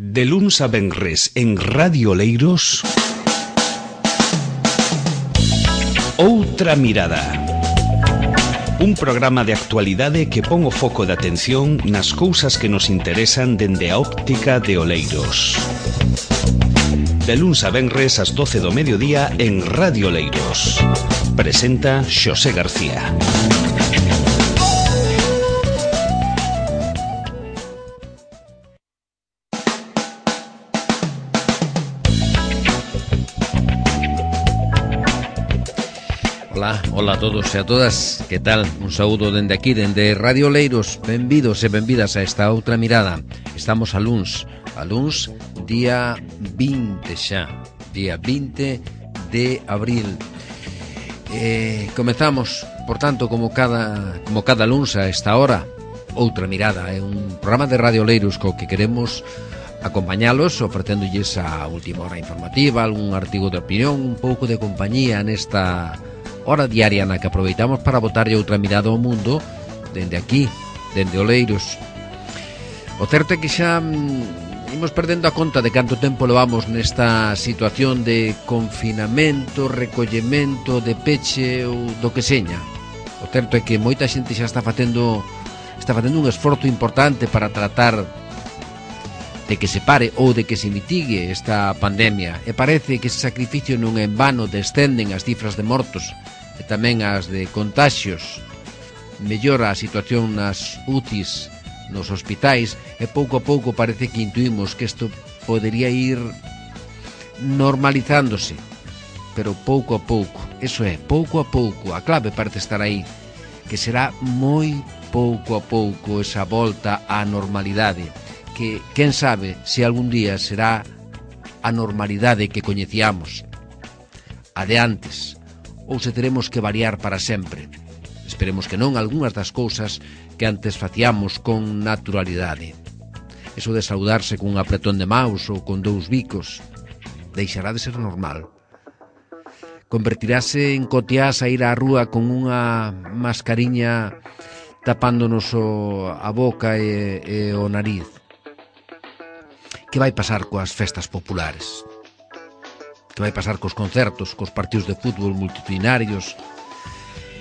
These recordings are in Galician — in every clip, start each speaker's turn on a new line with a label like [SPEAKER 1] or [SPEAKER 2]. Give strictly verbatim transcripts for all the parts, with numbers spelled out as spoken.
[SPEAKER 1] De luns a venres en Radio Oleiros, Outra Mirada. Un programa de actualidade que pon o foco de atención nas cousas que nos interesan dende a óptica de Oleiros. De luns a venres ás doce do mediodía en Radio Oleiros. Presenta Xosé García.
[SPEAKER 2] Ola, ola a todos e a todas, que tal? Un saúdo dende aquí, dende Radio Oleiros. Benvidos e benvidas a esta outra mirada. Estamos a luns, a luns, día vinte xa, día vinte de abril. Eh, comezamos, por tanto, como cada, como cada luns a esta hora, Outra Mirada. É un programa de Radio Oleiros co que queremos acompañalos, ofrecéndolles a última hora informativa, algún artigo de opinión, un pouco de compañía nesta hora diaria na que aproveitamos para botarlle outra mirada ao mundo dende aquí, dende Oleiros. O certo é que xa mm, imos perdendo a conta de canto tempo levamos nesta situación de confinamento, recollemento, de peche ou do que seña. O certo é que moita xente xa está facendo está facendo un esforzo importante para tratar de que se pare ou de que se mitigue esta pandemia, e parece que ese sacrificio non é en vano. Descenden as cifras de mortos e tamén as de contaxios, mellora a situación nas U C Is, nos hospitais, e pouco a pouco parece que intuimos que isto podería ir normalizándose, pero pouco a pouco, eso é, pouco a pouco. A clave parece estar aí, que será moi pouco a pouco esa volta á normalidade, que, quen sabe, se algún día será a normalidade que coñecíamos, a de antes, ou se teremos que variar para sempre. Esperemos que non algunhas das cousas que antes facíamos con naturalidade. Eso de saudarse cun apretón de maus ou con dous bicos deixará de ser normal. Convertirase en cotiás a ir á rúa con unha mascariña tapándonos o, a boca e, e o nariz. Que vai pasar coas festas populares? Que vai pasar cos concertos, cos partidos de fútbol multitudinarios?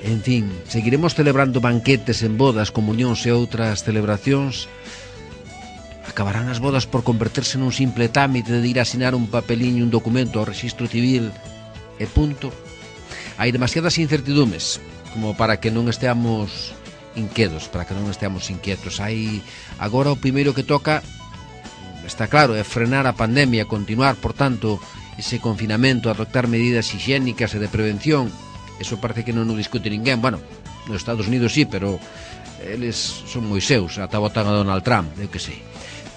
[SPEAKER 2] En fin, seguiremos celebrando banquetes en bodas, comunións e outras celebracións? Acabarán as bodas por converterse nun simple trámite de ir a asinar un papeliño, un documento ao rexistro civil e punto? Hai demasiadas incertidumes como para que non esteamos inquedos, para que non esteamos inquietos. Hai agora o primeiro que toca, está claro, é frenar a pandemia, continuar, por tanto, ese confinamento, adoptar medidas higiénicas e de prevención. Eso parece que non o discute ninguén. Bueno, nos Estados Unidos sí, pero eles son moi seus, ata votan a Donald Trump, eu que sei.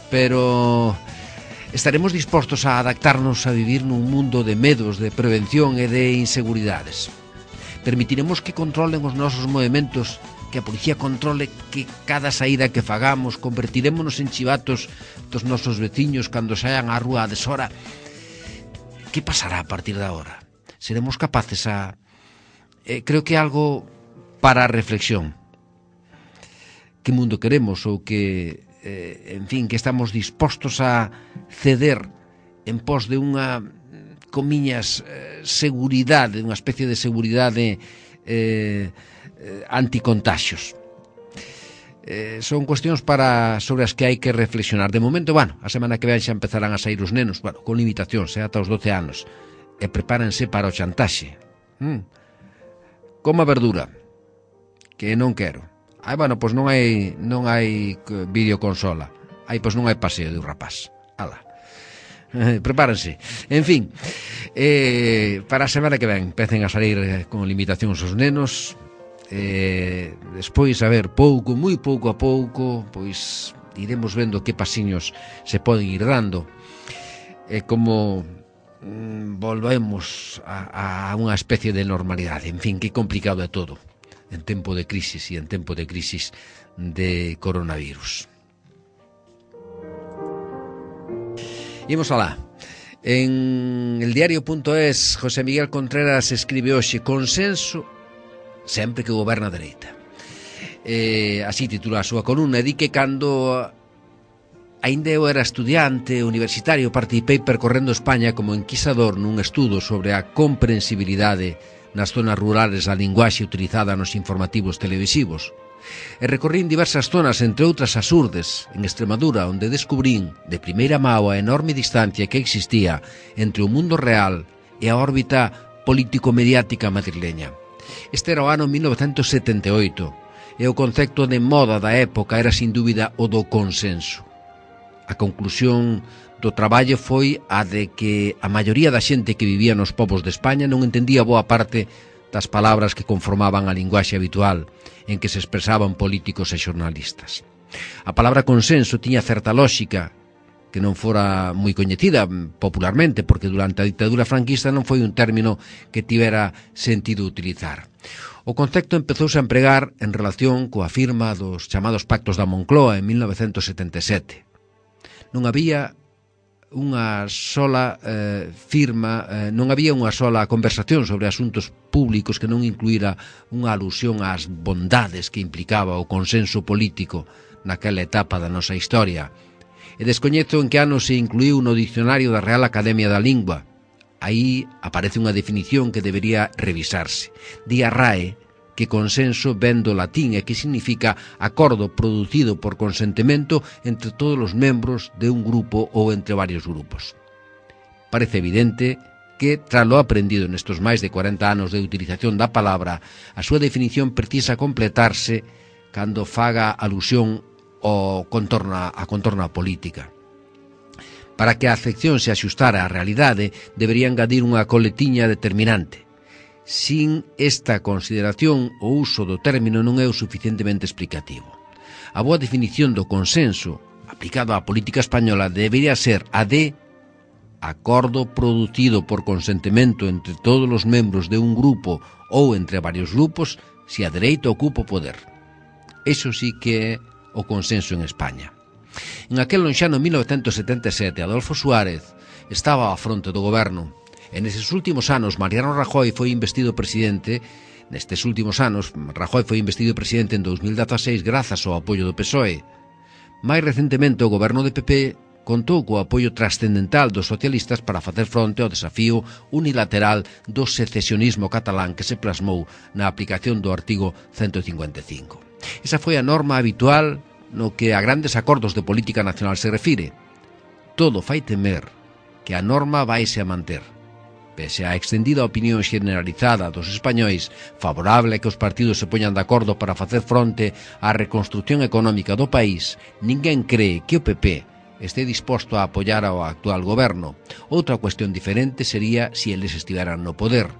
[SPEAKER 2] Pero estaremos dispostos a adaptarnos a vivir nun mundo de medos, de prevención e de inseguridades. Permitiremos que controlen os nosos movimentos, que a policía controle que cada saída que fagamos, convertirémonos en chivatos dos nosos veciños cando saian á rúa a deshora. Que pasará a partir de agora? Seremos capaces a... Eh, creo que é algo para a reflexión. Que mundo queremos ou que, eh, en fin, que estamos dispostos a ceder en pos de unha, comiñas, eh, seguridade, unha especie de seguridade eh, anticontaxios. Eh, son cuestións para sobre as que hai que reflexionar. De momento, bueno, a semana que ven xa empezarán a sair os nenos, bueno, con limitacións, eh, ata os doce anos, e prepárense para o chantaxe. Mm. Coma verdura, que non quero. Ai, bueno, pois non hai non hai videoconsola. Ai, pois non hai paseo de un rapaz. Ala. Eh, prepárense. En fin, eh, para a semana que ven empecen a salir eh, con limitacións os nenos. Eh, despois, a ver, pouco, moi pouco a pouco, pois iremos vendo que pasiños se poden ir dando, e eh, como mm, volvemos a, a unha especie de normalidade. En fin, que complicado é todo en tempo de crisis e en tempo de crisis de coronavirus. Imos alá. En el diario punto es, José Miguel Contreras escribe hoxe: consenso sempre que goberna a dereita. Eh, así titula a súa columna, e di que cando Aínda eu era estudiante universitario, participei percorrendo España como enquisador nun estudo sobre a comprensibilidade nas zonas rurales da linguaxe utilizada nos informativos televisivos. E recorrín diversas zonas, entre outras as Urdes, en Extremadura, onde descubrín de primeira mao a enorme distancia que existía entre o mundo real e a órbita político-mediática madrileña. Este era o ano mil novecentos setenta e oito, e o concepto de moda da época era sin dúbida o do consenso. A conclusión do traballo foi a de que a maioría da xente que vivía nos povos de España non entendía boa parte das palabras que conformaban a linguaxe habitual en que se expresaban políticos e xornalistas. A palabra consenso tiña certa lóxica que non fora moi coñecida popularmente, porque durante a ditadura franquista non foi un término que tivera sentido utilizar. O concepto empezouse a empregar en relación coa firma dos chamados Pactos da Moncloa en mil novecentos setenta e sete. Non había unha sola eh, firma, eh, non había unha sola conversación sobre asuntos públicos que non incluíra unha alusión ás bondades que implicaba o consenso político naquela etapa da nosa historia. E descoñezo en que ano se incluíu no dicionario da Real Academia da Lingua. Aí aparece unha definición que debería revisarse. Di a R A E que consenso ven do latín e que significa acordo producido por consentimento entre todos os membros de un grupo ou entre varios grupos. Parece evidente que, tras lo aprendido nestes máis de cuarenta anos de utilización da palabra, a súa definición precisa completarse cando faga alusión ao contorno, a contorna política. Para que a afección se axustara á realidade, debería engadir unha coletiña determinante. Sin esta consideración, o uso do término non é o suficientemente explicativo. A boa definición do consenso, aplicado á política española, debería ser a de acordo producido por consentimento entre todos os membros de un grupo ou entre varios grupos se a dereita ocupa o poder. Eso sí que é o consenso en España. En aquel lonxano mil novecentos setenta e sete, Adolfo Suárez estaba á fronte do goberno. En eses últimos anos, Mariano Rajoy foi investido presidente. Nestes últimos anos, Rajoy foi investido presidente en dos mil dezaseis grazas ao apoio do P S O E. Mais recentemente, o goberno de P P contou co apoio trascendental dos socialistas para facer fronte ao desafío unilateral do secesionismo catalán que se plasmou na aplicación do artigo ciento cincuenta e cinco. Esa foi a norma habitual no que a grandes acordos de política nacional se refire. Todo fai temer que a norma vaise a manter. Pese á extendida opinión generalizada dos españois favorable a que os partidos se poñan de acordo para facer fronte á reconstrucción económica do país, ninguén cree que o P P este disposto a apoiar ao actual goberno. Outra cuestión diferente sería se eles estiveran no poder.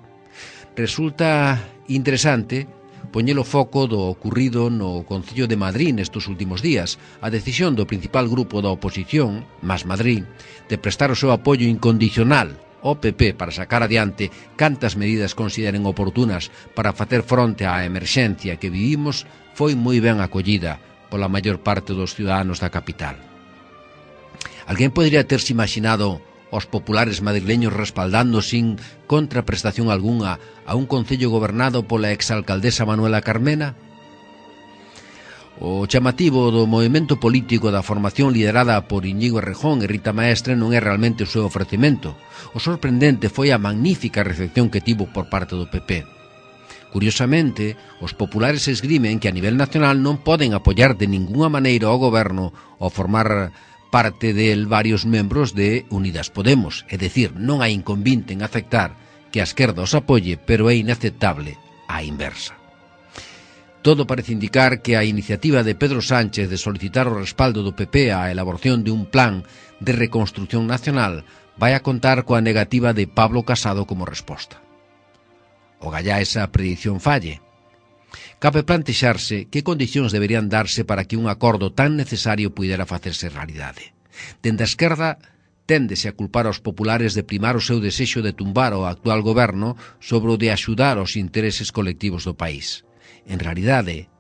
[SPEAKER 2] Resulta interesante poñer o foco do ocurrido no Concello de Madrid nestes últimos días, a decisión do principal grupo da oposición, Más Madrid, de prestar o seu apoio incondicional ao P P para sacar adiante cantas medidas consideren oportunas para facer fronte á emerxencia que vivimos, foi moi ben acollida pola maior parte dos ciudadanos da capital. Alguén podería terse imaginado os populares madrileños respaldando sin contraprestación algunha a un concello gobernado pola exalcaldesa Manuela Carmena? O chamativo do movimento político da formación liderada por Íñigo Errejón e Rita Maestre non é realmente o seu ofrecemento. O sorprendente foi a magnífica recepción que tivo por parte do P P. Curiosamente, os populares esgrimen que a nivel nacional non poden apoiar de ningunha maneira ao goberno ou formar parte del varios membros de Unidas Podemos, é dicir, non hai inconvinte en aceptar que a esquerda os apoie, pero é inaceptable a inversa. Todo parece indicar que a iniciativa de Pedro Sánchez de solicitar o respaldo do P P á elaboración de un plan de reconstrucción nacional vai a contar coa negativa de Pablo Casado como resposta. O gallá esa predición falle. Cabe plantexarse que condicións deberían darse para que un acordo tan necesario puidera facerse realidade. Dende a esquerda, téndese a culpar aos populares de primar o seu desexo de tumbar o actual goberno sobre o de axudar os intereses colectivos do país. En realidade,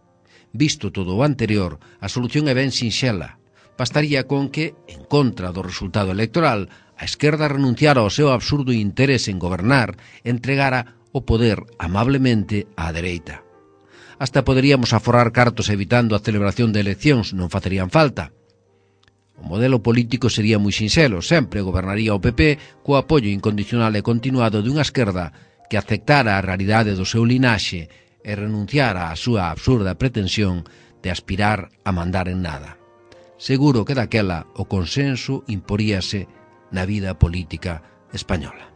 [SPEAKER 2] visto todo o anterior, a solución é ben sinxela. Bastaría con que, en contra do resultado electoral, a esquerda renunciara ao seu absurdo interese en gobernar e entregara o poder amablemente á dereita. Hasta poderíamos aforrar cartos evitando a celebración de eleccións, non facerían falta. O modelo político sería moi sinxelo, sempre gobernaría o P P co apoio incondicional e continuado dunha esquerda que aceptara a realidade do seu linaxe e renunciara á súa absurda pretensión de aspirar a mandar en nada. Seguro que daquela o consenso imporíase na vida política española.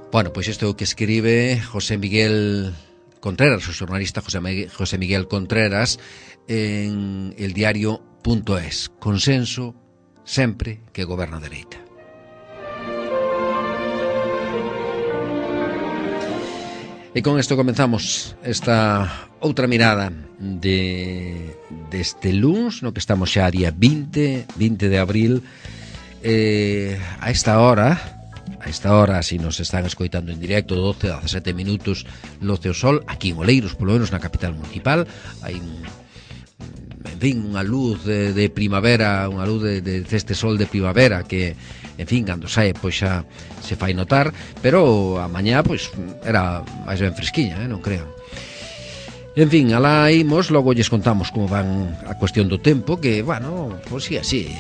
[SPEAKER 2] Bueno, pois isto é o que escribe José Miguel Contreras, o xornalista José Miguel, José Miguel Contreras en el diario punto es. Consenso sempre que goberna a dereita. E con isto comenzamos esta outra mirada de deste luns, no que estamos xa a día vinte de abril, eh, a esta hora a esta hora, si nos están escoitando en directo, doce a dezasete minutos loce o sol, aquí en Oleiros, polo menos na capital municipal, hai un, en fin, unha luz de, de primavera, unha luz de, de este sol de primavera que, en fin, cando sae, pois xa se fai notar, pero a mañá, pois, era máis ben fresquiña, eh, non crean. En fin, alá imos, logo lles contamos como van a cuestión do tempo, que, bueno, pois sí, así,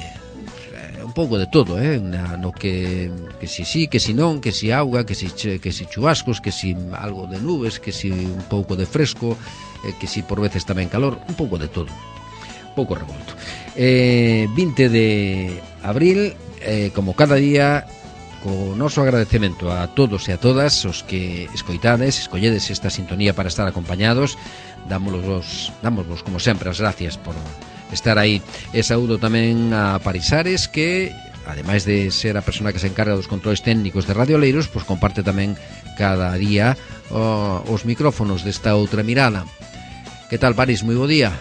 [SPEAKER 2] un pouco de todo, eh, no que que si sí, que si non, que si auga, que si que si chubascos, que si algo de nubes, que si un pouco de fresco, eh, que si por veces tamén calor, un pouco de todo. Un pouco revolto. Eh, vinte de abril, eh, como cada día, co noso agradecemento a todos e a todas os que escoitades, escolledes esta sintonía para estar acompañados, dámosvos, dámosvos como sempre as gracias por estar aí. E saúdo tamén a Parisares, que ademais de ser a persona que se encarga dos controles técnicos de Radio Oleiros, pois comparte tamén cada día oh, os micrófonos desta outra mirada. Que tal, París? Moi bo día.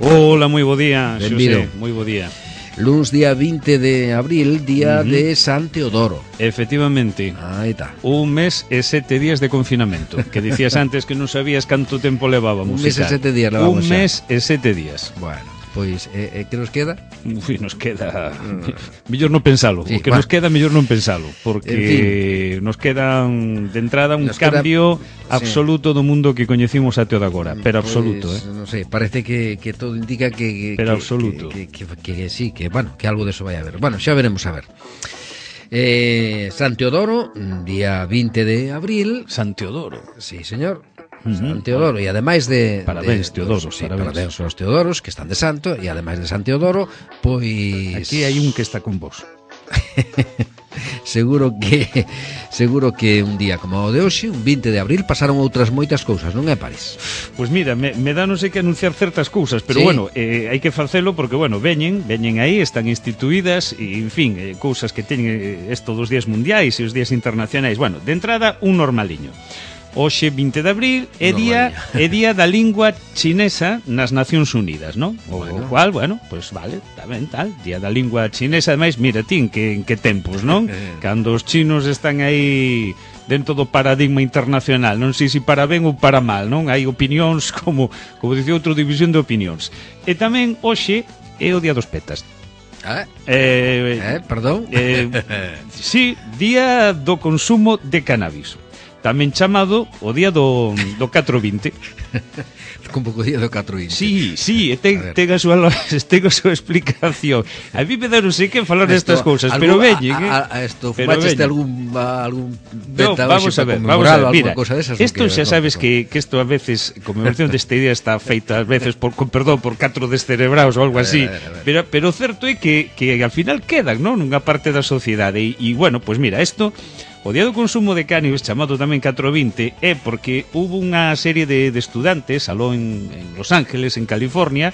[SPEAKER 3] Hola, moi bo día,
[SPEAKER 2] Xosé,
[SPEAKER 3] moi bo día.
[SPEAKER 2] Luns día vinte de abril, día uh-huh. de San Teodoro.
[SPEAKER 3] Efectivamente.
[SPEAKER 2] Aí está.
[SPEAKER 3] Un mes e sete días de confinamento. Que dicías antes que non sabías canto tempo levábamos.
[SPEAKER 2] Un mes e sete días levábamos.
[SPEAKER 3] Un mes e sete días.
[SPEAKER 2] Bueno, pois, eh, eh, que nos queda?
[SPEAKER 3] Ui, nos queda... Mm. Mellor non pensalo. Sí, o que bueno. nos queda, mellor non pensalo. Porque en fin, nos quedan de entrada un nos cambio queda... absoluto sí. do mundo que coñecimos até o de agora. Pero pues, absoluto, eh?
[SPEAKER 2] Non sei, parece que, que todo indica que... que
[SPEAKER 3] pero
[SPEAKER 2] que,
[SPEAKER 3] absoluto.
[SPEAKER 2] Que, que, que, que, que sí, que, bueno, que algo de eso vai a haber. Bueno, xa veremos a ver. Eh, San Teodoro, día vinte de abril.
[SPEAKER 3] San Teodoro.
[SPEAKER 2] Sí, señor. San Teodoro, e ademais de...
[SPEAKER 3] Parabéns,
[SPEAKER 2] de,
[SPEAKER 3] Teodoros,
[SPEAKER 2] sí,
[SPEAKER 3] parabéns.
[SPEAKER 2] parabéns aos Teodoros, que están de santo, e ademais de San Teodoro, pois...
[SPEAKER 3] Aquí hai un que está con vos.
[SPEAKER 2] seguro que seguro que un día como o de hoxe, un vinte de abril, pasaron outras moitas cousas, non é, París?
[SPEAKER 3] Pois mira, me, me dá non sei que anunciar certas cousas, pero sí. bueno, eh, hai que facelo porque, bueno, veñen, veñen aí, están instituídas, e, en fin, eh, cousas que teñen estos dos días mundiais e os días internacionais. Bueno, de entrada, un normaliño. Hoxe, vinte de abril, é día, é día da lingua chinesa nas Nacións Unidas, non? O, bueno. o cual, bueno, pois pues vale, tamén tal, día da lingua chinesa, ademais, mira, tin que en que tempos, non? Cando os chinos están aí dentro do paradigma internacional, non sei se para ben ou para mal, non? Hai opinións, como, como dicía outro, división de opinións. E tamén, hoxe, é o día dos petas.
[SPEAKER 2] Ah,
[SPEAKER 3] eh,
[SPEAKER 2] eh, perdón?
[SPEAKER 3] Eh, sí, día do consumo de cannabis. Tamén chamado o día do, do catro vinte.
[SPEAKER 2] Un pouco día do catro vinte.
[SPEAKER 3] Sí, sí, ten, ten, a súa, ten a súa explicación. A mí me dá non sei que falar destas cousas, pero veñen, eh?
[SPEAKER 2] A, a esto, fumaches algún, algún beta,
[SPEAKER 3] no, vamos a ver, vamos a ver, mira, isto xa sabes que, que isto a veces, conmemoración desta idea está feita a veces, por, con perdón, por catro descerebrados ou algo así, a ver, a ver, a ver. Pero, pero certo é que, que al final quedan, non? Nunha parte da sociedade, e, e bueno, pois pues mira, isto... O día do consumo de cannabis, chamado tamén catro vinte, é porque hubo unha serie de, de estudantes, aló en, en Los Ángeles, en California,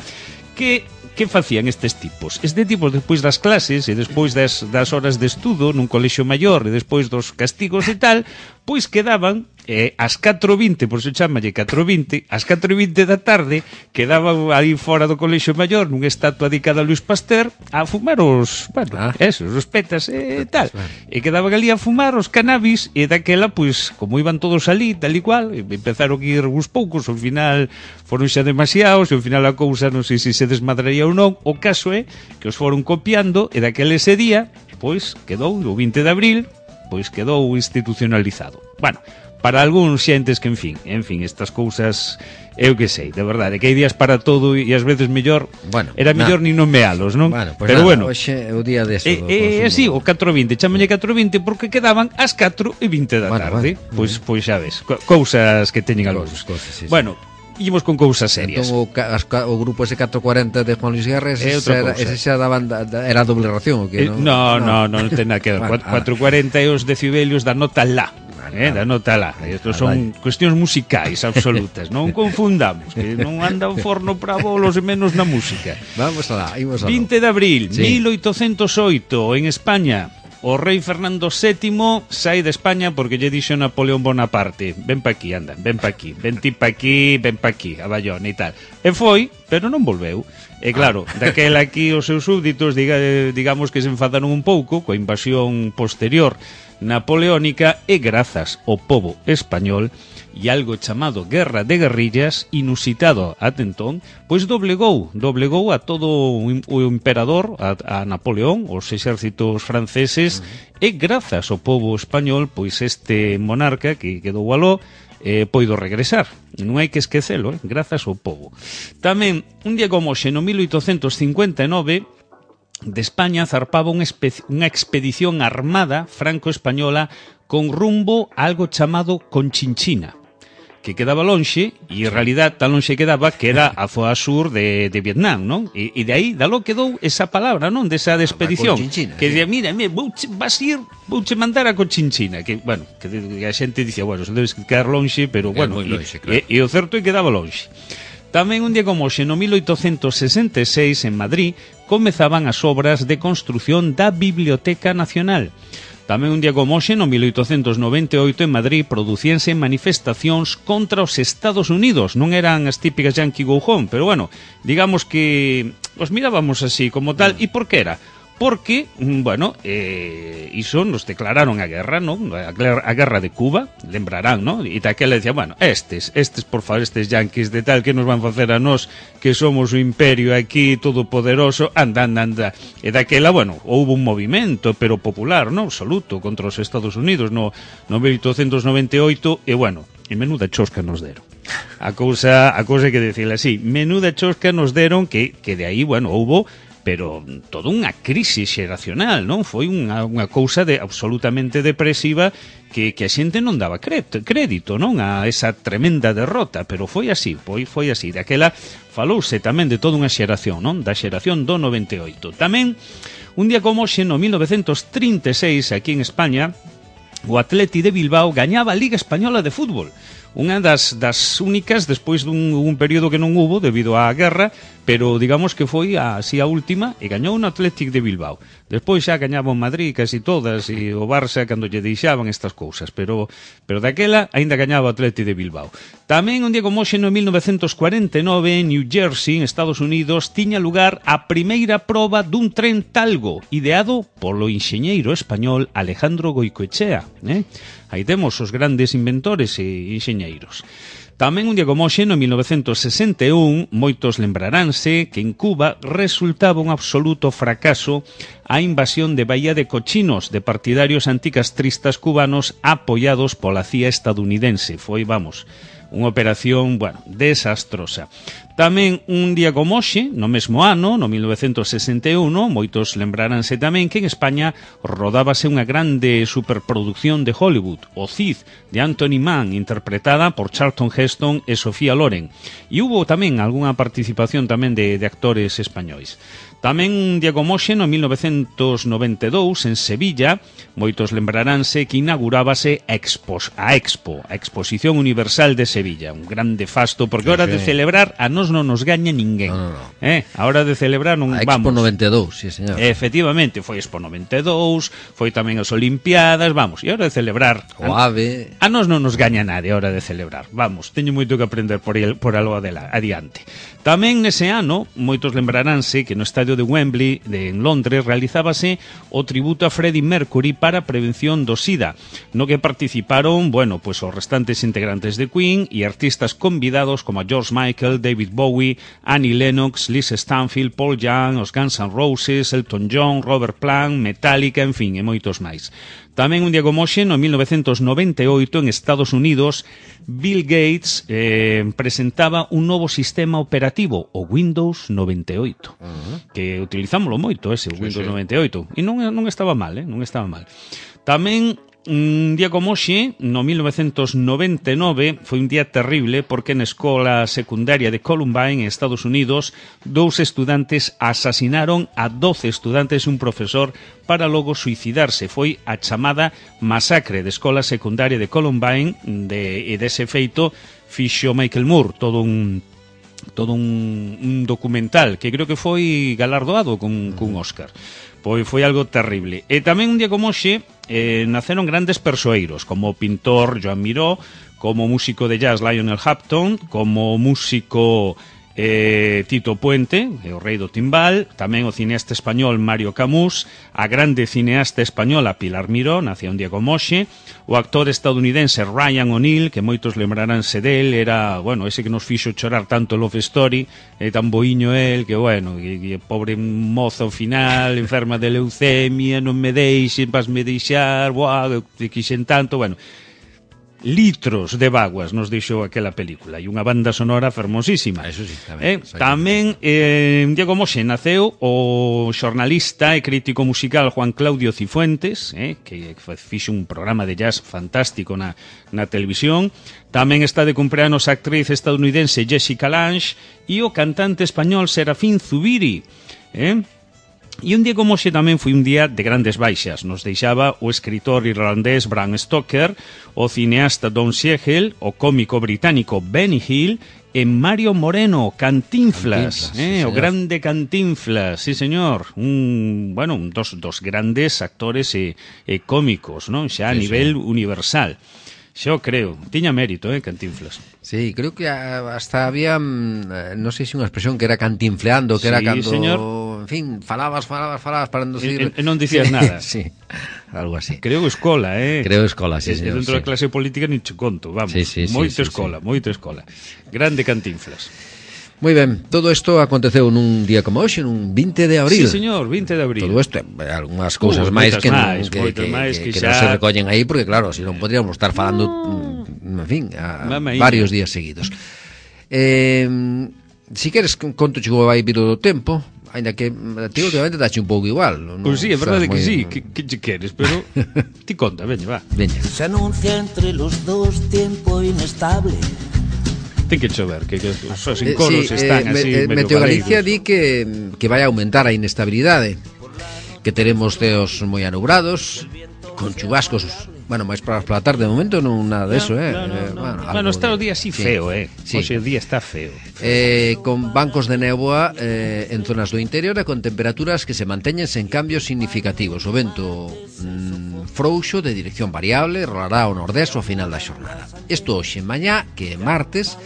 [SPEAKER 3] que que facían estes tipos? Este tipos despois das clases e despois das, das horas de estudo nun colexio maior e despois dos castigos e tal, pois quedaban eh, ás catro vinte, por se chamalle catro vinte, ás catro vinte da tarde quedaban aí fora do colexio maior nunha estatua dedicada a Luis Pasteur a fumar os, bueno, ah. esos, os petas e eh, tal, e quedaban ali a fumar os cannabis e daquela, pois, como iban todos ali, tal e cual, empezaron a ir uns poucos, ao final foron xa demasiados, e ao final a cousa non sei se se desmadraría ou non. O caso é que os foron copiando e daquele ese día, pois, quedou o vinte de abril, pois quedou institucionalizado. Bueno, para algúns xentes que, en fin, en fin, estas cousas eu que sei, de verdade, que hai días para todo e ás veces mellor, bueno, era mellor ni non mealos, non?
[SPEAKER 2] Bueno, pues
[SPEAKER 3] pero
[SPEAKER 2] nada,
[SPEAKER 3] bueno,
[SPEAKER 2] hoxe é o día de eso.
[SPEAKER 3] E así, o catro e vinte, chámolle catro e vinte porque quedaban as catro e vinte da
[SPEAKER 2] bueno,
[SPEAKER 3] tarde.
[SPEAKER 2] Bueno,
[SPEAKER 3] pois bueno. pois xa ves, cousas que teñen algúns.
[SPEAKER 2] Sí, sí.
[SPEAKER 3] Bueno, ímos con cousas serias.
[SPEAKER 2] Entón, o, as, o grupo ese catro cuarenta de Juan Luis Guerra, ese, era, ese xa daban da, da, era doble ración, o que
[SPEAKER 3] eh, no? No, no, non ten nada que ver. Bueno, catro cuarenta e os decibelios da nota la. Eh, da nota lá. Estos son cuestións musicais absolutas. Non confundamos, que non anda o forno para bolos e menos na música.
[SPEAKER 2] Vamos alá, imos alá.
[SPEAKER 3] vinte de abril, sí. mil oitocentos oito, en España, o rei Fernando sétimo sai de España porque lle dixo Napoleón Bonaparte: ven pa aquí, anda, ven pa aquí, ven ti pa aquí, ven pa aquí, a Bayona e tal. E foi, pero non volveu. E claro, daquela aquí os seus súbditos, diga, digamos que se enfadaron un pouco coa invasión posterior napoleónica e grazas ao pobo español e algo chamado guerra de guerrillas, inusitado ate entón, pois doblegou, doblegou a todo o emperador, a, a Napoleón, os exércitos franceses, uh-huh. e grazas ao pobo español, pois este monarca que quedou aló, eh, poido regresar. Non hai que esquecelo, eh? Grazas ao pobo. Tamén, un día como hoxe, no mil oitocentos cincuenta e nove, de España zarpaba unha, unha expedición armada franco-española con rumbo a algo chamado Conchinchina, que quedaba lonxe, e en realidad tan lonxe quedaba que era a zoa sur de, de Vietnam, non? E, e de aí, dalo quedou esa palabra, non? Desa de expedición, que dicía, mira, mira vouche, vas ir, vouche mandar a Conchinchina, que, bueno, que, que a xente dicía, bueno, se debes quedar lonxe, pero, bueno,
[SPEAKER 2] lonxe,
[SPEAKER 3] e,
[SPEAKER 2] claro.
[SPEAKER 3] e, e o certo é que quedaba lonxe. Tamén un día como hoxe, no mil oitocentos sesenta e seis, en Madrid, comezaban as obras de construción da Biblioteca Nacional. Tamén un día como hoxe, no mil oitocentos noventa e oito, en Madrid, producíanse manifestacións contra os Estados Unidos. Non eran as típicas Yankee Go Home, pero bueno, digamos que os mirábamos así como tal. E por que era? Porque, bueno, eh, iso nos declararon a guerra, non? A, a guerra de Cuba, lembrarán, non? E daquela decía, bueno, estes, estes, por favor, estes yanquis de tal, que nos van facer a nós, que somos o imperio aquí, todopoderoso, anda, anda, anda. E daquela, bueno, houve un movimento, pero popular, non? Absoluto, contra os Estados Unidos, no, no mil oitocentos noventa e oito, e bueno, e menuda chosca nos deron. A cousa, a cousa que decirle así, menuda chosca nos deron, que, que de aí, bueno, houve, pero toda unha crisis xeracional, non? Foi unha, unha cousa de absolutamente depresiva que, que a xente non daba crédito, non? A esa tremenda derrota, pero foi así, foi, foi así. Daquela falouse tamén de toda unha xeración, non? Da xeración do noventa e oito. Tamén, un día como hoxe, no mil novecentos trinta e seis, aquí en España, o Atleti de Bilbao gañaba a Liga Española de Fútbol. Unha das, das únicas despois dun un período que non hubo debido á guerra, pero digamos que foi así a última e gañou o Athletic de Bilbao. Despois xa gañaba o Madrid casi todas e o Barça cando lle deixaban estas cousas, pero pero daquela aínda gañaba o Athletic de Bilbao. Tamén un día como hoxe no mil novecentos cuarenta e nove en New Jersey, en Estados Unidos, tiña lugar a primeira proba dun tren Talgo, ideado polo enxeñeiro español Alejandro Goicoechea, eh? Aí temos os grandes inventores e enxeñeiros. Tamén un día como hoxe, no mil novecentos sesenta e un, moitos lembraránse que en Cuba resultaba un absoluto fracaso a invasión de Bahía de Cochinos de partidarios anticastristas cubanos apoiados pola C I A estadounidense. Foi, vamos, unha operación, bueno, desastrosa. Tamén un día como hoxe, no mesmo ano, no mil novecentos sesenta e un, moitos lembraránse tamén que en España rodábase unha grande superproducción de Hollywood, O Cid, de Anthony Mann, interpretada por Charlton Heston e Sofía Loren. E hubo tamén algunha participación tamén de, de actores españois. Tamén un día como hoxe, no mil novecentos noventa e dous, en Sevilla, moitos lembraránse que inaugurábase a Expo, a Expo, a Exposición Universal de Sevilla, un grande fasto, porque a hora de celebrar a nos non nos gaña ninguén. No, no, no. Eh, a hora de celebrar non
[SPEAKER 2] a
[SPEAKER 3] vamos.
[SPEAKER 2] Expo noventa e dous, sí, señor.
[SPEAKER 3] Efectivamente, foi Expo noventa e dous, foi tamén as Olimpiadas, vamos, e a hora de celebrar
[SPEAKER 2] o
[SPEAKER 3] a,
[SPEAKER 2] AVE.
[SPEAKER 3] A nos non nos gaña nadie a hora de celebrar. Vamos, teño moito que aprender por, el, por algo adiante. Tamén nese ano, moitos lembraránse que no Estadio estadio de Wembley de, en Londres realizábase o tributo a Freddie Mercury para a prevención do SIDA, no que participaron, bueno, pues os restantes integrantes de Queen e artistas convidados como a George Michael, David Bowie, Annie Lennox, Liz Stanfield, Paul Young, os Guns N' Roses, Elton John, Robert Plant, Metallica, en fin, e moitos máis. Tamén un día como hoxe, no mil novecientos noventa e oito, en Estados Unidos, Bill Gates eh, presentaba un novo sistema operativo, o Windows noventa e oito, uh-huh. que utilizámoslo moito, ese, o sí, Windows sí. noventa e oito, e non, non estaba mal, eh? non estaba mal. Tamén un día como hoxe, no mil novecientos noventa e nove, foi un día terrible porque na escola secundaria de Columbine, en Estados Unidos, dous estudantes asasinaron a doce estudantes e un profesor para logo suicidarse. Foi a chamada masacre de escola secundaria de Columbine, de, e dese feito fixo Michael Moore, todo un todo un, un documental que creo que foi galardoado con, con Oscar. Pois foi algo terrible. E tamén un día como hoxe eh, naceron grandes persoeiros, como o pintor Joan Miró, como músico de jazz Lionel Hampton, como músico eh, Tito Puente, o rei do timbal, tamén o cineasta español Mario Camus, a grande cineasta española Pilar Miró, nacía un día como hoxe, o actor estadounidense Ryan O'Neal, que moitos lembraránse del, era, bueno, ese que nos fixo chorar tanto Love Story, é tan boiño el, que, bueno, que, que pobre mozo ao final, enferma de leucemia, non me deixen, vas me deixar, buah, te quixen tanto, bueno, litros de vaguas nos deixou aquela película e unha banda sonora fermosísima.
[SPEAKER 2] Eso sí, tamén.
[SPEAKER 3] Eh, tamén, eh, un día como xe, naceu o xornalista e crítico musical Juan Claudio Cifuentes, eh, que fixo un programa de jazz fantástico na, na televisión. Tamén está de cumpleanos a actriz estadounidense Jessica Lange e o cantante español Serafín Zubiri, eh? E un día como hoxe tamén foi un día de grandes baixas. Nos deixaba o escritor irlandés Bram Stoker, o cineasta Don Siegel, o cómico británico Benny Hill e Mario Moreno, Cantinflas, Cantinflas eh, sí, o grande Cantinflas, sí señor, un, bueno, un dos, dos grandes actores e, e cómicos, non? Xa a sí, nivel sí. universal. Xo creo, tiña mérito, eh, Cantinflas.
[SPEAKER 2] Sí, creo que hasta había, non sei se unha expresión que era cantinfleando, que sí, era cando, señor. En fin, falabas, falabas, falabas para non decir...
[SPEAKER 3] E, e non dicías nada.
[SPEAKER 2] Sí, algo así.
[SPEAKER 3] Creo escola, eh.
[SPEAKER 2] Creo escola, sí,
[SPEAKER 3] e,
[SPEAKER 2] señor.
[SPEAKER 3] E dentro sí. da clase política ni che conto, vamos.
[SPEAKER 2] Sí, sí,
[SPEAKER 3] moito
[SPEAKER 2] sí,
[SPEAKER 3] escola,
[SPEAKER 2] sí,
[SPEAKER 3] moito escola. Grande Cantinflas.
[SPEAKER 2] Moi ben, todo isto aconteceu nun día como hoxe, nun vinte de abril.
[SPEAKER 3] Sí, señor, vinte de abril.
[SPEAKER 2] Todo isto, algunhas cousas uh, máis que, máis, non, que, que, máis que, que, que xa... non se recollen aí, porque claro, se non podríamos estar falando, en fin, a varios días seguidos. Eh, si queres, conto chegou vai vir do tempo, ainda que ti últimamente dache un pouco igual.
[SPEAKER 3] Non, pois sí, é verdade que sí, que, que che queres, pero ti conta, veña, va.
[SPEAKER 2] Veña.
[SPEAKER 4] Se anuncia entre los dos tiempo inestable.
[SPEAKER 3] Ten que chover, que, que os encoros
[SPEAKER 2] eh, sí,
[SPEAKER 3] están
[SPEAKER 2] eh,
[SPEAKER 3] así
[SPEAKER 2] eh,
[SPEAKER 3] medio
[SPEAKER 2] Meteo Galicia
[SPEAKER 3] galegos.
[SPEAKER 2] di que, que vai aumentar a inestabilidade, que teremos ceos moi anubrados, con chubascos, bueno, máis para a tarde de momento non nada de eso, eh.
[SPEAKER 3] No, no, no.
[SPEAKER 2] eh bueno,
[SPEAKER 3] bueno, está o día así feo, sí. eh. Sí. Hoxe o día está feo.
[SPEAKER 2] Eh, con bancos de néboa eh, en zonas do interior e con temperaturas que se manteñen sen cambios significativos. O vento mm, frouxo de dirección variable rolará ao nordés ao final da xornada. Isto hoxe, mañá, que é martes,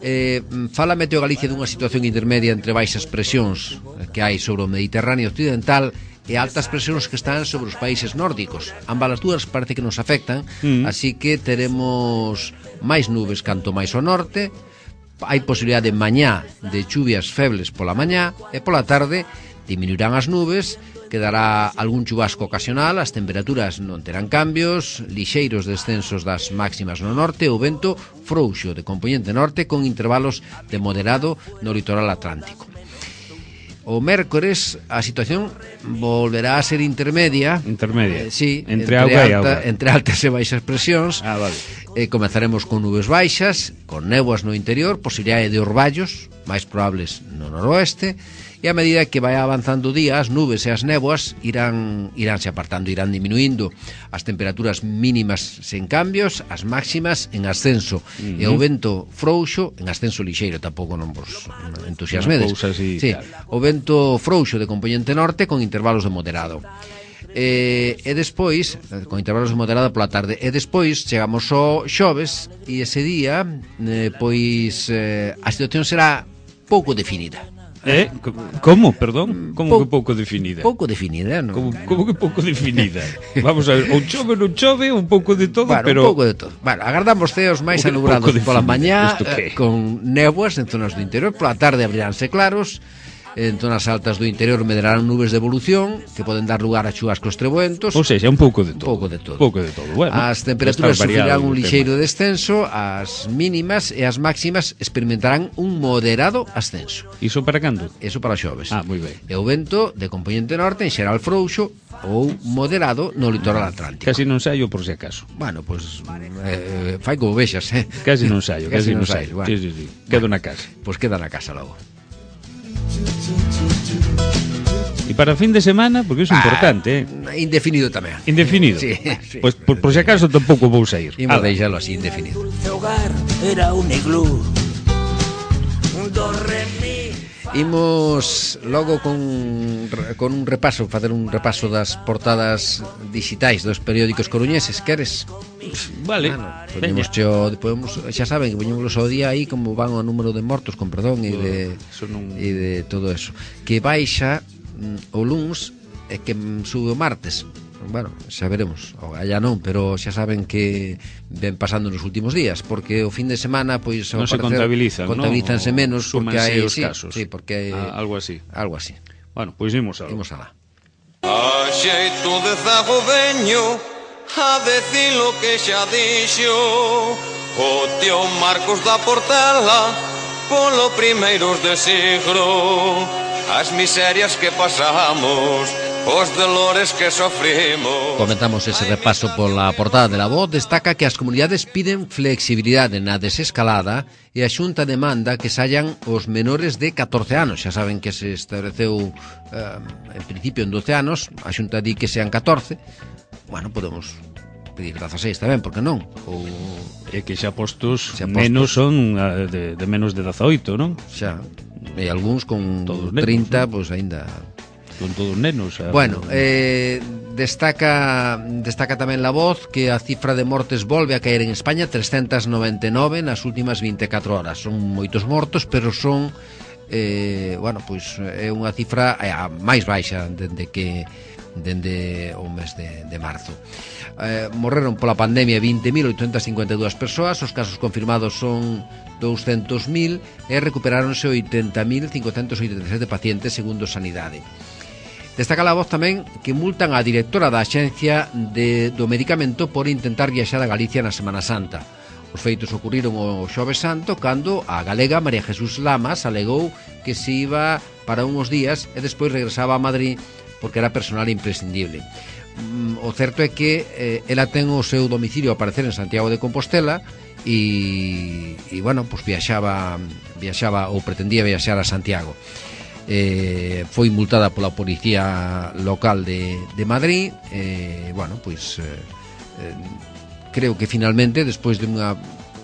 [SPEAKER 2] eh, fala Meteo Galicia dunha situación intermedia entre baixas presións que hai sobre o Mediterráneo occidental e altas presións que están sobre os países nórdicos. Ambas as dúas parece que nos afectan, mm. así que teremos máis nubes canto máis ao norte. Hai posibilidade de mañá de chuvias febles pola mañá e pola tarde diminuirán as nubes, quedará algún chubasco ocasional, as temperaturas non terán cambios, lixeiros descensos das máximas no norte, o vento frouxo de componente norte con intervalos de moderado no litoral atlántico. O mércores a situación volverá a ser intermedia.
[SPEAKER 3] Intermedia.
[SPEAKER 2] Eh, sí,
[SPEAKER 3] entre, entre auga e auga.
[SPEAKER 2] Entre altas e baixas presións.
[SPEAKER 3] Ah, vale.
[SPEAKER 2] Eh, comezaremos con nubes baixas, con néboas no interior, posibilidade de orballos, máis probables no noroeste, e a medida que vai avanzando o día, as nubes e as néboas irán iránse apartando, irán diminuindo, as temperaturas mínimas sen cambios, as máximas en ascenso, uh-huh. e o vento frouxo en ascenso lixeiro, tampouco non vos entusiasmedes.
[SPEAKER 3] Así,
[SPEAKER 2] sí,
[SPEAKER 3] claro.
[SPEAKER 2] O vento frouxo de componente norte con intervalos de moderado. E, e despois, con intervalos de moderado pola tarde, e despois chegamos ao xoves e ese día, eh, pois eh, a situación será pouco definida.
[SPEAKER 3] Eh? Como, perdón? Como
[SPEAKER 2] Pou,
[SPEAKER 3] que pouco definida?
[SPEAKER 2] Pouco definida, non?
[SPEAKER 3] Como, como que pouco definida? Vamos a ver, ou chove, non chove, un pouco de todo,
[SPEAKER 2] bueno,
[SPEAKER 3] pero...
[SPEAKER 2] un pouco de todo. Bueno, agardamos ceos máis anubrados pola mañá, eh, con néboas en zonas do interior, pola tarde abriránse claros, en zonas altas do interior medrarán nubes de evolución que poden dar lugar a chuvascos trebuentos.
[SPEAKER 3] Ou seja, un pouco de todo.
[SPEAKER 2] Un pouco de todo.
[SPEAKER 3] Pouco de todo. Bueno,
[SPEAKER 2] as temperaturas sufrirán un lixeiro descenso, as mínimas e as máximas experimentarán un moderado ascenso.
[SPEAKER 3] Iso para cando?
[SPEAKER 2] Iso para os xoves.
[SPEAKER 3] Ah, moi ben.
[SPEAKER 2] E o vento de componente norte en xeral frouxo ou moderado no litoral atlántico.
[SPEAKER 3] Casi non saio por si acaso.
[SPEAKER 2] Bueno, pois pues, eh, fai como vexas, eh.
[SPEAKER 3] Casi non saio, casi, casi non saio.
[SPEAKER 2] Bueno.
[SPEAKER 3] Sí, sí, sí. Quedo bueno, na casa.
[SPEAKER 2] Pois pues queda na casa logo.
[SPEAKER 3] E para fin de semana, porque iso é ah, importante, eh?
[SPEAKER 2] Indefinido tamén.
[SPEAKER 3] Indefinido?
[SPEAKER 2] Sí, sí.
[SPEAKER 3] Pois pues, por, por si acaso tampouco vou sair.
[SPEAKER 2] Imos deixalo así, indefinido.
[SPEAKER 4] Era un iglú. Un do re mi.
[SPEAKER 2] Imos logo con, con un repaso, facer un repaso das portadas digitais dos periódicos coruñeses, queres?
[SPEAKER 3] Vale.
[SPEAKER 2] Bueno, poñemos xo, podemos, xa saben que poñemos o día aí como van o número de mortos, con perdón, e de, non... e de todo eso. Que baixa mm, o luns e que sube o martes. Bueno, xa veremos, allá non, pero xa saben que ven pasando nos últimos días, porque o fin de semana pois
[SPEAKER 3] non se contabilizan,
[SPEAKER 2] contabilízanse
[SPEAKER 3] no?
[SPEAKER 2] menos porque hai
[SPEAKER 3] os
[SPEAKER 2] sí,
[SPEAKER 3] casos.
[SPEAKER 2] Sí, porque hai,
[SPEAKER 3] ah, algo así.
[SPEAKER 2] Algo así.
[SPEAKER 3] Bueno, pois imos algo.
[SPEAKER 2] Imos alá.
[SPEAKER 5] A xeito de zago veño a decir lo que xa dixo o tío Marcos da Portela polo primeiros de siglo, as miserias que pasamos, os dolores que sofrimos.
[SPEAKER 2] Comentamos ese repaso pola portada de La Voz. Destaca que as comunidades piden flexibilidade na desescalada e a Xunta demanda que saian os menores de catorce anos. Xa saben que se estableceu eh, en principio en doce anos, a Xunta di que sean catorce. Bueno, podemos pedir dezaseis tamén, porque non? Ou...
[SPEAKER 3] É que xa postos, xa postos menos son de, de menos de dezaoito, non?
[SPEAKER 2] Xa, e algúns con todos trinta, pois pues, aínda...
[SPEAKER 3] Con todos nenos. A...
[SPEAKER 2] Bueno, eh, destaca destaca tamén La Voz que a cifra de mortes volve a caer en España, trescentas noventa e nove nas últimas vinte e catro horas. Son moitos mortos, pero son eh, bueno, pois é unha cifra a máis baixa dende que dende o mes de, de marzo. Eh, morreron pola pandemia vinte mil oitocentas cincuenta e dúas persoas, os casos confirmados son douscentos mil e recuperáronse oitenta mil cincocentos oitenta e sete pacientes segundo Sanidade. Destaca La Voz tamén que multan a directora da Axencia de, do Medicamento por intentar viaxar a Galicia na Semana Santa. Os feitos ocurriron o Xoves Santo cando a galega María Jesús Lamas alegou que se iba para uns días e despois regresaba a Madrid porque era personal imprescindible. O certo é que eh, ela ten o seu domicilio a aparecer en Santiago de Compostela e, e bueno, pues viaxaba, viaxaba ou pretendía viaxar a Santiago. Eh, foi multada pola policía local de, de Madrid e, eh, bueno, pois eh, eh, creo que finalmente despois de unha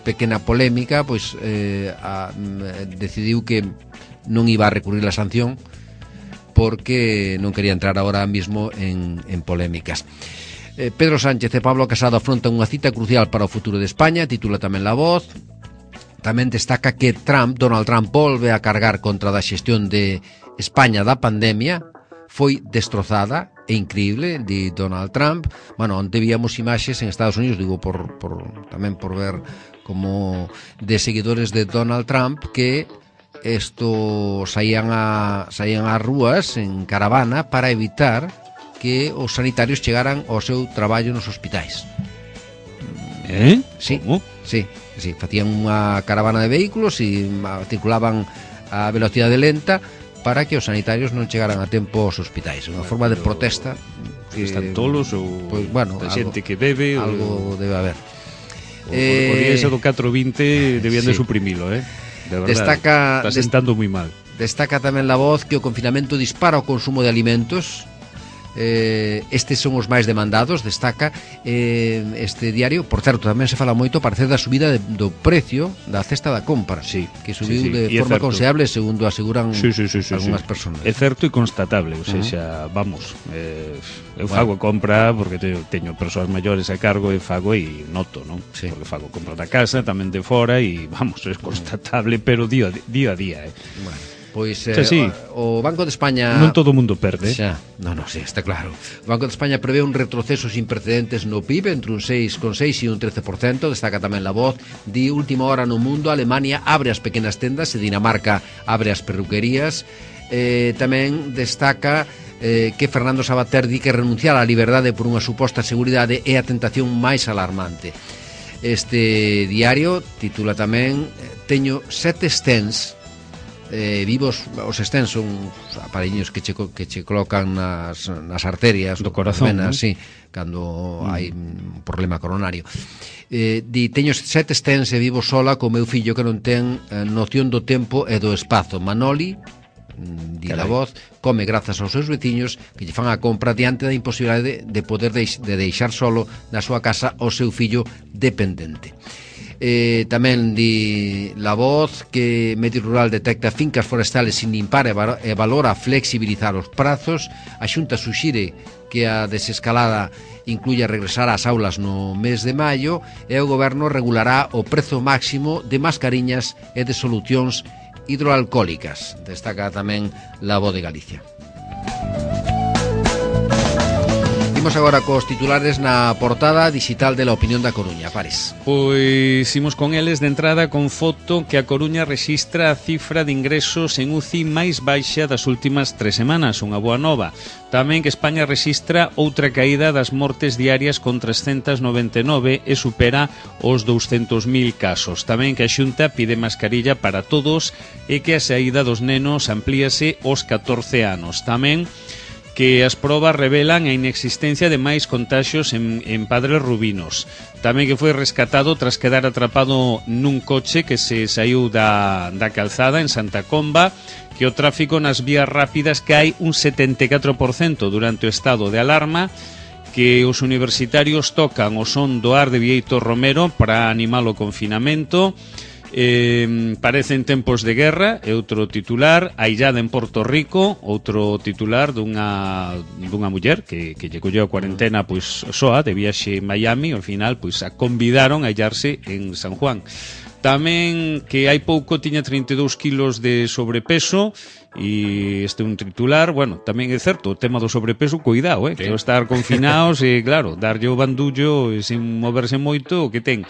[SPEAKER 2] pequena polémica pois eh, a, decidiu que non iba a recurrir a sanción porque non quería entrar agora mismo en, en polémicas. eh, Pedro Sánchez e Pablo Casado afrontan unha cita crucial para o futuro de España, titula tamén La Voz. Tamén destaca que Trump, Donald Trump volve a cargar contra da xestión de España da pandemia. Foi destrozada e increíble, di Donald Trump. Bueno, onte víamos imaxes en Estados Unidos, digo, por, por tamén por ver como de seguidores de Donald Trump que esto saían a saían ás rúas en caravana para evitar que os sanitarios chegaran ao seu traballo nos hospitais.
[SPEAKER 3] Eh?
[SPEAKER 2] Sí,
[SPEAKER 3] ¿Cómo?
[SPEAKER 2] sí, sí, facían unha caravana de vehículos e circulaban a velocidade lenta para que os sanitarios non chegaran a tempo aos hospitais. Unha forma de protesta.
[SPEAKER 3] Que están tolos ou
[SPEAKER 2] pues, bueno,
[SPEAKER 3] a xente que bebe
[SPEAKER 2] algo
[SPEAKER 3] o...
[SPEAKER 2] debe haber.
[SPEAKER 3] O, eh, o día ese do catro vinte debían sí. de suprimilo, eh? De verdade,
[SPEAKER 2] destaca,
[SPEAKER 3] está sentando moi mal.
[SPEAKER 2] Destaca tamén La Voz que o confinamento dispara o consumo de alimentos. Eh, estes son os máis demandados, destaca eh, este diario. Por certo, tamén se fala moito parecer da subida de, do precio da cesta da compra,
[SPEAKER 3] sí,
[SPEAKER 2] que subiu
[SPEAKER 3] sí, sí.
[SPEAKER 2] de
[SPEAKER 3] Y
[SPEAKER 2] forma considerable, segundo aseguran
[SPEAKER 3] sí, sí, sí, sí,
[SPEAKER 2] algunhas
[SPEAKER 3] sí.
[SPEAKER 2] persoas.
[SPEAKER 3] É certo e constatable, ou seja, uh -huh. vamos, eh, eu fago bueno. compra porque te, teño persoas maiores a cargo e fago e noto, non? Sí. Porque fago compra da casa, tamén de fora e vamos, é constatable, pero día, día a día, eh.
[SPEAKER 2] Bueno. Pois eh, sí, sí. O, o Banco de España...
[SPEAKER 3] Non todo o mundo perde.
[SPEAKER 2] Xa, non, non, sí, está claro. O Banco de España prevé un retroceso sin precedentes no P I B entre un seis coma seis e un trece por cento. Destaca tamén La Voz. Di última hora no mundo, Alemania abre as pequenas tendas e Dinamarca abre as perruquerías. Eh, tamén destaca eh, que Fernando Sabater di que renunciar á liberdade por unha suposta seguridade é a tentación máis alarmante. Este diario titula tamén Teño sete stents eh, vivos. Os stents son aparellos que che, que che colocan nas, nas arterias
[SPEAKER 3] do corazón,
[SPEAKER 2] venas,
[SPEAKER 3] ¿no?
[SPEAKER 2] Sí, cando mm. hai un problema coronario. eh, di, teño sete stents e vivo sola co meu fillo que non ten eh, noción do tempo e do espazo. Manoli, di La Voz, come grazas aos seus veciños que lle fan a compra diante da imposibilidade de, de poder deix, de deixar solo na súa casa o seu fillo dependente. Eh, tamén di La Voz que Medio Rural detecta fincas forestales sin limpar e, e valora flexibilizar os prazos. A Xunta suxire que a desescalada incluya regresar ás aulas no mes de maio e o goberno regulará o prezo máximo de mascariñas e de solucións hidroalcohólicas. Destaca tamén La Voz de Galicia. Imos agora cos titulares na portada digital de La Opinión da Coruña. Pares.
[SPEAKER 3] Pois imos con eles de entrada con foto que a Coruña rexistra a cifra de ingresos en U C I máis baixa das últimas tres semanas, unha boa nova. Tamén que España rexistra outra caída das mortes diarias con trescentos noventa e nove e supera os douscentos mil casos. Tamén que a Xunta pide mascarilla para todos e que a saída dos nenos amplíase aos catorce anos. Tamén que as probas revelan a inexistencia de máis contaxios en, en Padres Rubinos. Tamén que foi rescatado tras quedar atrapado nun coche que se saiu da, da calzada en Santa Comba, que o tráfico nas vías rápidas cae un setenta e catro por cento durante o estado de alarma, que os universitarios tocan o son do ar de Bieito Romero para animar o confinamento. Eh, parecen tempos de guerra, é outro titular. Aillada en Porto Rico, outro titular dunha, dunha muller que, que lle colleu a cuarentena pois soa de viaxe en Miami, ao final pois a convidaron a illarse en San Juan. Tamén que hai pouco tiña trinta e dous kilos de sobrepeso. E este é un titular. Bueno, tamén é certo, o tema do sobrepeso, cuidado, eh, sí. Que o estar confinados e claro, darlle o bandullo e sin moverse moito o que ten.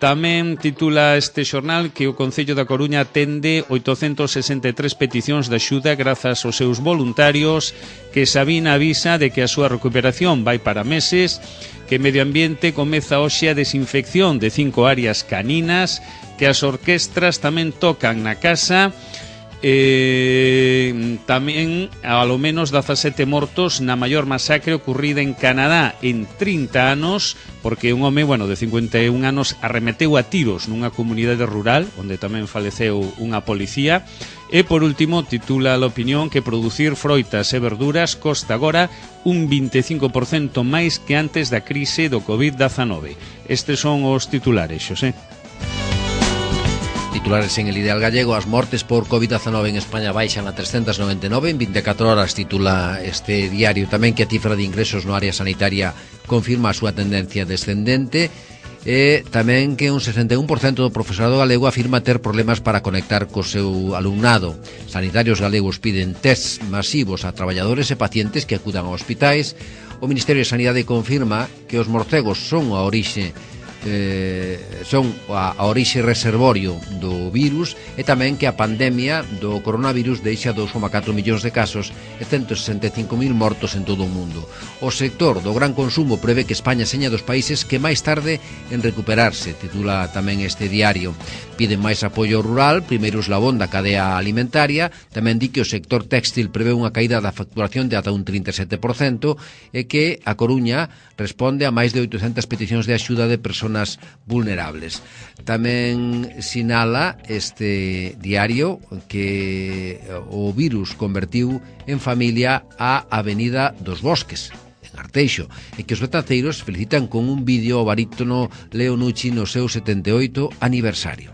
[SPEAKER 3] Tamén titula este xornal que o Concello da Coruña atende oitocentos sesenta e tres peticións de axuda grazas aos seus voluntarios, que Sabina avisa de que a súa recuperación vai para meses, que Medio Ambiente comeza hoxe a desinfección de cinco áreas caninas, que as orquestras tamén tocan na casa. Eh, tamén ao menos dezasete mortos na maior masacre ocurrida en Canadá en trinta anos, porque un home, bueno, de cincuenta e un anos arremeteu a tiros nunha comunidade rural onde tamén faleceu unha policía. E por último titula La Opinión que producir froitas e verduras costa agora un vinte e cinco por cento máis que antes da crise do covid dezanove. Estes son os titulares, Xosé.
[SPEAKER 2] Titulares en El Ideal Gallego. As mortes por covid dezanove en España baixan a trescentos noventa e nove en vinte e catro horas, titula este diario. Tamén que a cifra de ingresos no área sanitaria confirma a súa tendencia descendente. E tamén que un sesenta e un por cento do profesorado galego afirma ter problemas para conectar co seu alumnado. Sanitarios galegos piden tests masivos a traballadores e pacientes que acudan a hospitais. O Ministerio de Sanidade confirma que os morcegos son a orixe Eh, son a, a orixe reservorio do virus e tamén que a pandemia do coronavirus deixa dous coma catro millóns de casos e cento sesenta e cinco mil mortos en todo o mundo. O sector do gran consumo prevé que España seña dos países que máis tarde en recuperarse, titula tamén este diario. Piden máis apoio rural, primeiro eslabón da cadea alimentaria. Tamén di que o sector téxtil prevé unha caída da facturación de ata un trinta e sete por cento e que a Coruña responde a máis de oitocentas peticións de axuda de persoas vulnerables. Tamén sinala este diario que o virus convertiu en familia a Avenida dos Bosques en Arteixo e que os betaceiros felicitan con un vídeo ao barítono Leo Nucci no seu setenta e oito aniversario.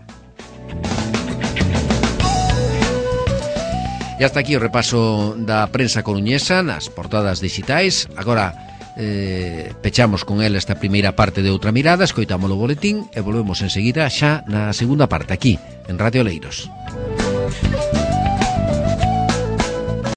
[SPEAKER 2] E hasta aquí o repaso da prensa coruñesa nas portadas digitais. Agora Eh, pechamos con el esta primeira parte de Outra Mirada, escoitamos o boletín e volvemos enseguida xa na segunda parte aquí, en Radio Oleiros.